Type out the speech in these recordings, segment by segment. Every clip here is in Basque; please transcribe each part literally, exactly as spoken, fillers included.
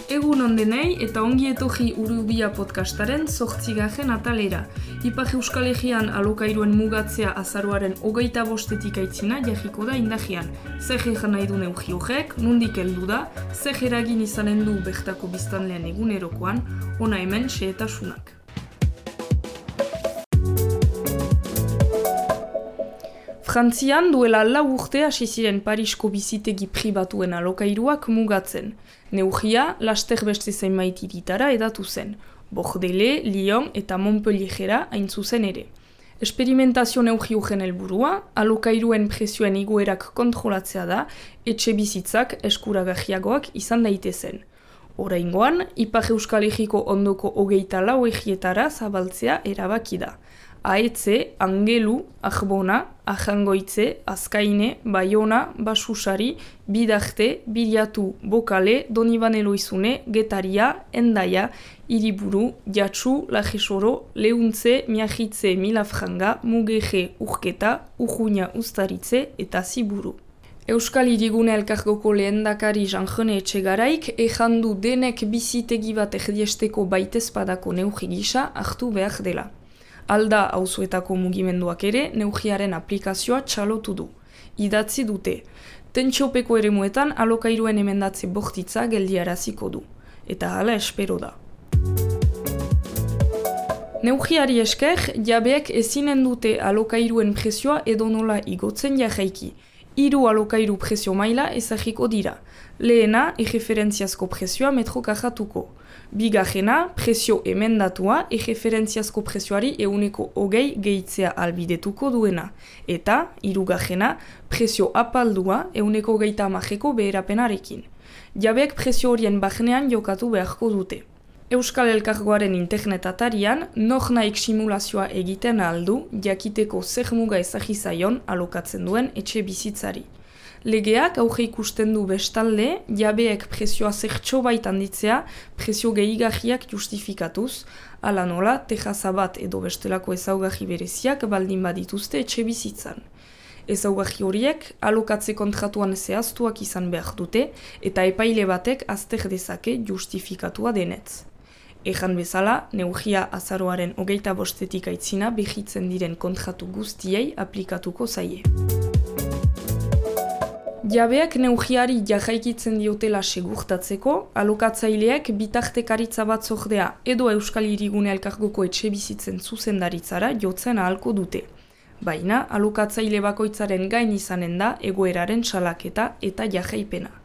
Egun ondenei eta ongi etorri Urubia podcastaren zortzigarren atalera. Ipar Euskal Herrian alokairuen mugatzea azaroaren hogeita bostetik aitzina jarriko da indagian. Zer egan nahi du neurri horrek, nondik heldu da, zer eragin izanen du bertako biztanlean egunerokoan, ona hemen xehetasunak. Frantzian duela lau urte hasi ziren Parisko bizitegi pribatuen alokairuak mugatzen. Neurria laster beste zenbait hiritara edatu zen, Bordelais, Lyon eta Montpelliera hain zuzen ere. Esperimentazio neurri horren helburua, alokairuen prezioen igoerak kontrolatzea da, etxe bizitzak eskuragarriagoak izan daitezen. Oraingoan, Ipar Euskal Herriko ondoko hogeita lau egietara zabaltzea erabaki da. Aetze, Angelu, Arbona, Ajangoitze, Azkaine, Baiona, Basusari, Bidarte, Biriatu, Bokale, Donibane Loizune, Getaria, Endaia, Hiriburu, Jatsu, Lajesoro, Leuntze, Miagitze, Milafranga, Mugeje, Urketa, Urruña, Uztaritze eta Ziburu. Euskal Hirigune Elkargoko lehendakari Jean-René Etxegaraik ejandu denek bizitegi bat erdiesteko baitezpadako neurri gisa hartu behar dela. Alda auzoetako mugimenduak ere neurriaren aplikazioa txalotu du. Idatzi dute. Tentsiopeko eremuetan alokairuen emendatze bortitza geldiaraziko du. Eta hala espero da. Neurriari esker, jabeek ezinen dute alokairuen prezioa edonola igotzen jarraiki. Hiru alokairu prezio maila ezagiko dira. Lehena, erreferentziazko prezioa metro kajatuko. Bigarrena, prezio emendatua, erreferentziazko prezioari euneko hogei gehitzea albidetuko duena. Eta, hirugarrena, prezio apaldua, euneko hogeita hamareko beherapenarekin. Jabeek prezio horien barnean jokatu beharko dute. Euskal Elkargoaren internet atarian, nor naik simulazioa egiten aldu, jakiteko zer muga ezagizaion alokatzen duen etxe bizitzari. Legeak aurre ikusten du bestalde, jabeek prezioa zertxo bait handitzea, prezio gehigarriak justifikatuz, ala nola, tejaza bat edo bestelako ezaugarri bereziak baldin badituzte etxe bizitzan. Ezaugarri horiek, alokatze kontratuan zehaztuak izan behar dute, eta epaile batek azter dezake justifikatua denetz. Ejan bezala, neurria azaroaren hogeita bostetik aitzina behitzen diren kontratu guztiei aplikatuko zaie. Jabeak neurriari jarraikitzen diotela segurtatzeko, alokatzaileak bitartekaritza batzordea edo Euskal Hirigune Elkargoko etxe bizitzen zuzendaritzara jotzen ahalko dute. Baina, alokatzaile bakoitzaren gain izanen da egoeraren salaketa eta jarraipena.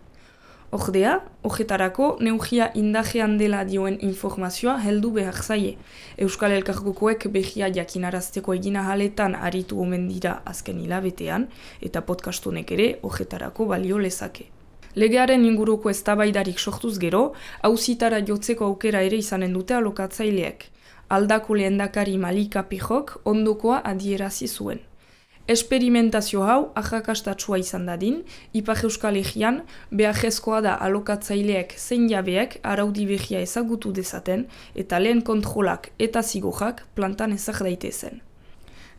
Ordea, horretarako neurria indajean dela dioen informazioa heldu behar zaie. Euskal Elkargokoek behia jakinarazteko egina haletan aritu omen dira azken hilabetean, eta podcastonek ere horretarako balio lezake. Legearen inguruko eztabaidarik sortuz gero, auzitara jotzeko aukera ere izanen dute alokatzaileek. Aldako lehendakari Malika Pijok ondokoa adierazi zuen. Esperimentazio hau arrakastatsua izan dadin, Ipar Euskal Herrian beharrezkoa da alokatzaileek zein jabeek araudi berria ezagutu dezaten eta lehen kontrolak eta zigorrak plantan ezag daitezen.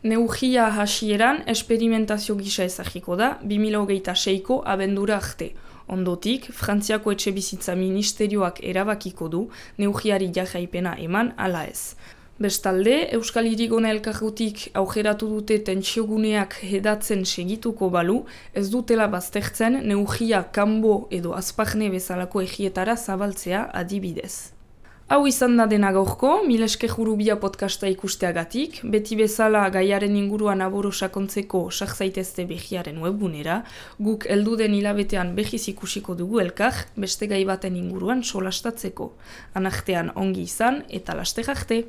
Neurria hasieran esperimentazio gisa ezagiko da bi mila hogeita seiko abendura arte. Ondotik, Frantziako etxebizitza ministerioak erabakiko du neurriari jarraipena eman ala ez. Bestalde, Euskal Hirigune Elkargotik aukeratu dute tentsioguneak hedatzen segituko balu, ez dutela baztertzen neurria kanbo edo azparne bezalako egietara zabaltzea adibidez. Hau izan da dena gaurko, mil esker Urubia podcasta ikusteagatik, beti bezala gaiaren inguruan aboro sakontzeko sak zaitezte behiaren webgunera, guk helduden hilabetean behiz ikusiko dugu elkar, beste gai baten inguruan solastatzeko. Anartean ongi izan eta laster arte!